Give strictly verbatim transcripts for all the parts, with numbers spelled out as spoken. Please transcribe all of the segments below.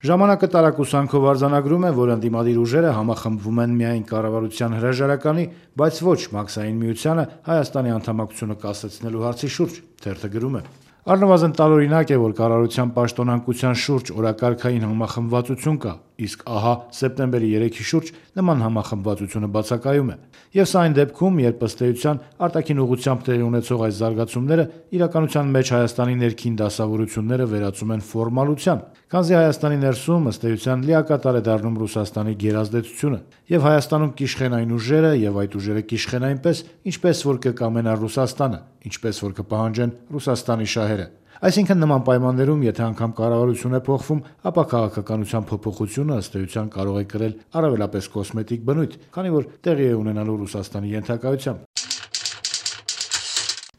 Ժամանակը տարակուսանքով արձանագրում է, որ ընդդիմադիր ուժերը համախմբվում են միայն կառավարության հրաժարականի, բայց ոչ Մաքսային միությանը Հայաստանի անդամակցությունը կասեցնելու հարցի շուրջ, թերթը գրում է. Առնվազն տարօրինակ է, որ կառավարության պաշտոնանկության շուրջ օրակարգային համախմբվածություն կա, իսկ ահա սեպտեմբերի երեքի շուրջ նման համախմբվածությունը բացակայում է։ Եվ սա այն դեպքում, երբ ըստ էության արտաքին ուղղությամբ տեղի ունեցող այս զարգացումները իրականության մեջ Հայաստանի ներքին դասավորությունները վերածում են ֆորմալության, քանզի Հայաստանի ներսում ըստ էության լիակատար է դառնում Ռուսաստանի գերազդեցությունը, եւ Հայաստանում կիշխեն այն ուժերը եւ այդ ուժերը կիշխեն այնպես, ինչպես որ կկամենա Ռուսաստանը, ինչպես որ կպահանջեն Ռուսաստանի շահերը։ Այսինքն նման պայմաններում, եթե անգամ կառավարություն է փոխվում, ապա քաղաքականության փոփոխությունը ըստ էության կարող է կրել առավելապես կոսմետիկ բնույթ, քանի որ տեղի է ունենալու Ռուսաստանի ենթակայությամբ։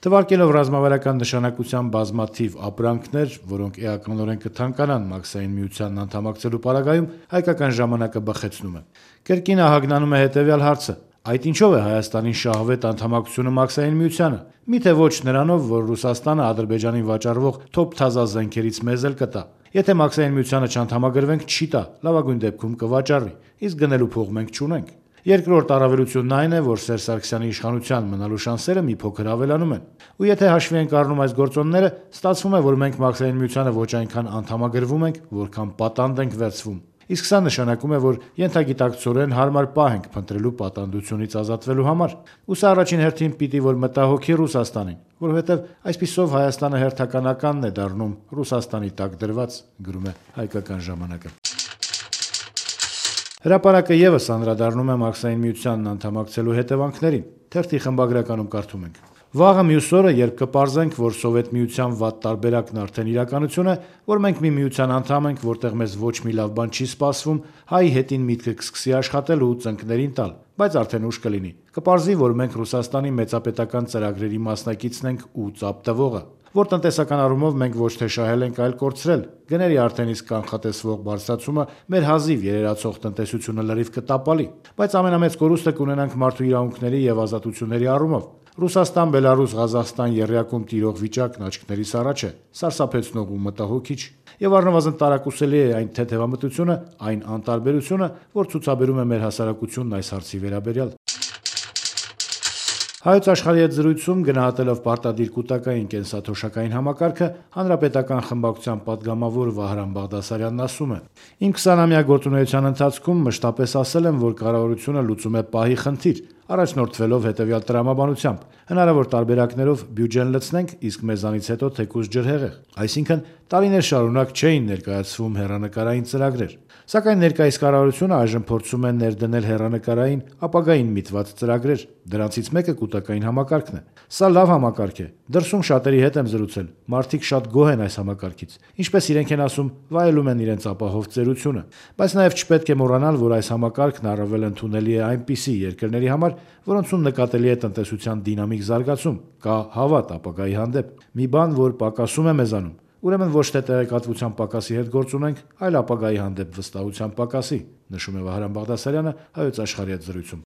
Թվարկելով ռազմավարական նշանակության բազմաթիվ ապրանքներ, որոնք էականորեն կթանկանան Մաքսային միությանն անդամակցելու պարագայում, հայկական ժամանակը բխեցնում է։ Կրկին ահագնանում է հետևյալ հարցը. այդ ինչով է Հայաստանին շահվետ անդամակցությունը Մաքսային միությանը։ Միթե ոչ նրանով, որ Ռուսաստանը Ադրբեջանին վաճառվող թոփ-թազա զենքերից մեզ էլ կտա։ Եթե Մաքսային միությանը չանդամագրվենք, չի տա, լավագույն դեպքում կվաճառի, իսկ գնելու փող մենք չունենք։ Երկրորդ առավելությունն այն է, որ Սերժ Սարգսյանի իշխանության մնալու շանսերը մի փոքր ավելանում են։ Ու եթե հաշվի ենք առնում այս գործոնները, ստացվում է, որ մենք Մաքսային միությանը ոչ այնքան անդամագրվում ենք, որքան պատանդ ենք վերցվում։ Իսկ սա նշանակում է, որ ենթագիտակցորեն հարմար պահ ենք փնտրելու պատանդությունից ազատվելու համար։ Ու սա առաջին հերթին պիտի որ մտահոգի Ռուսաստանին, որովհետև այսպիսով Հայաստանը հերթականականն է դառնում Ռուսաստանի տակ դրված, գրում է Հայկական ժամանակը։ Հրապարակը եւս անդրադառնում է Մաքսային միությանն անդամակցելու հետևանքներին։ Թերթի խմբագրականում կարդում ենք. Վաղը մյուս օրը, երբ կպարզենք, որ Սովետ միության վատ տարբերակն արդեն իրականություն է, որ մենք մի միության անդամ ենք, որտեղ մեզ ոչ մի լավ բան չի սպասվում, հայ հետին միտքը կսկսի աշխատել ու ծնկներին տալ, բայց արդեն ուշ կլինի։ Կպարզի, որ մենք Ռուսաստանի մեծապետական ծրագրերի մասնակիցն ենք ու ծափ տվողը, որ տնտեսական առումով մենք ոչ թե շահել ենք, այլ կորցրել։ Գների արդեն իսկ կանխատեսվող բարձրացումը մեր հազիվ երերացող տնտեսությունը լրիվ կտապալի, բայց ամենամեծ կորուստը կունենանք մարդու իրավունքների եւ ազատությունների առումով։ Ռուսաստան, Բելարուս, Ղազախստան երրյակում տիրող վիճակն աչքներիս առաջ է, սարսափեցնող ու մտահոգիչ։ Եվ առնվազն տարակուսելի է այն թեթևամտությունը, այն անտարբերությունը, որ ցուցաբերում է մեր հասարակությունն այս հարցի վերաբերյալ։ Հայոց աշխարհի հետ զրույցում գնահատելով պարտադիր կուտակային կենսաթոշակային համակարգը, հանրապետական խմբակցության падգամավոր Վահրամ Բաղդասարյանն ասում է. Իմ քսանամյա գործունեության ընթացքում մշտապես ասել եմ, որ կառավարությունը լուծում է պահի խնդիր, առաջնորդվելով հետևյալ տրամաբանությամբ. հնարավոր տարբերակներով բյուջեն լցնենք, իսկ մեզանից հետո թեկուզ ջրհեղեղ։ Այսինքն տարիներ շարունակ չէին ներկայացվում հեռանկարային ծրագրեր։ Սակայն ներկայիս կառավարությունը այժմ փորձում է ներդնել հեռանկարային ապագային միտված ծրագրեր։ Դրանցից մեկը կուտակային համակարգն է։ Սա լավ համակարգ է։ Դրսում շատերի հետ եմ զրուցել։ Մարդիկ շատ գոհ են այս համակարգից։ Ինչպես իրենք են ասում, վայելում են իրենց ապահով ծերությունը։ Բայց նաև չպետք է մոռանալ, որ այս համակարգն առավել ընդունելի է այնպիսի երկրների համար, որոնցում նկատելի է տնտեսության դինամիկ զարգացում, կա հավատ ապագայի հանդեպ։ Մի բան, որ պակասում է մեզանում։ Ուրեմն ոչ թե տեղեկատվության պակասի հետ գործ ունենք, այլ ապագայի հանդեպ վստահության պակասի, նշում է Վահրամ Բաղդասարյանը Հայոց աշխարհի հետ զրույցում։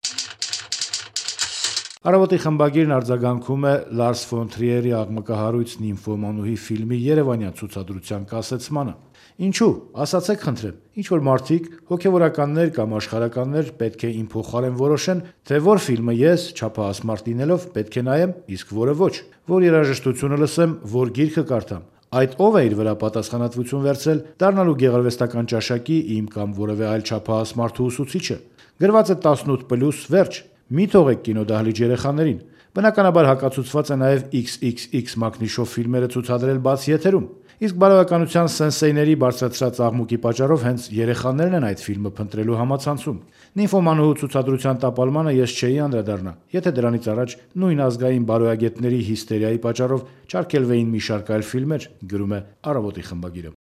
Առավոտի խմբագիրն արձագանքում է Լարս ֆոն Թրիերի աղմկահարույց Նիմֆոմանուհի ֆիլմի երևանյան ցուցադրության կասեցմանը։ Ինչու՞, ասացեք խնդրեմ, ինչ որ մարդիկ, հոգևորականներ կամ աշխարհականներ պետք է իմ փոխարեն որոշեն, թե որ ֆիլմը ես, չափահաս մարդ լինելով, պետք է նայեմ, իսկ որը ոչ, որ երաժշտությունը լսեմ, որ գիրքը կարդամ։ Այդ ով է իր վրա պատասխանատվություն վերցրել դառնալու գեղարվեստական ճաշակի իմ կամ որևէ այլ չափահաս մարդու ուսուցիչը։ Գրված է տասնութ պլյուս վերջ։ Մի թողեք կինոդահլիճ երեխաներին։ Բնականաբար հակացուցված է նաև իքս իքս իքս մակնիշով ֆիլմերը ցուցադրել բաց եթերում։ Իսկ բարոյականության սենսեյների բարձրացրած աղմուկի պատճառով հենց երեխաներն են այդ ֆիլմը փնտրելու համացանցում։ Նիմֆոմանուհու ցուցադրության տապալմանը ես չէի անդրադառնա, եթե դրանից առաջ նույն ազգային բարոյագետների հիստերիայի պատճառով չարգելվեին մի շարք այլ ֆիլմեր, գրում է Առավոտի խմբագիրը։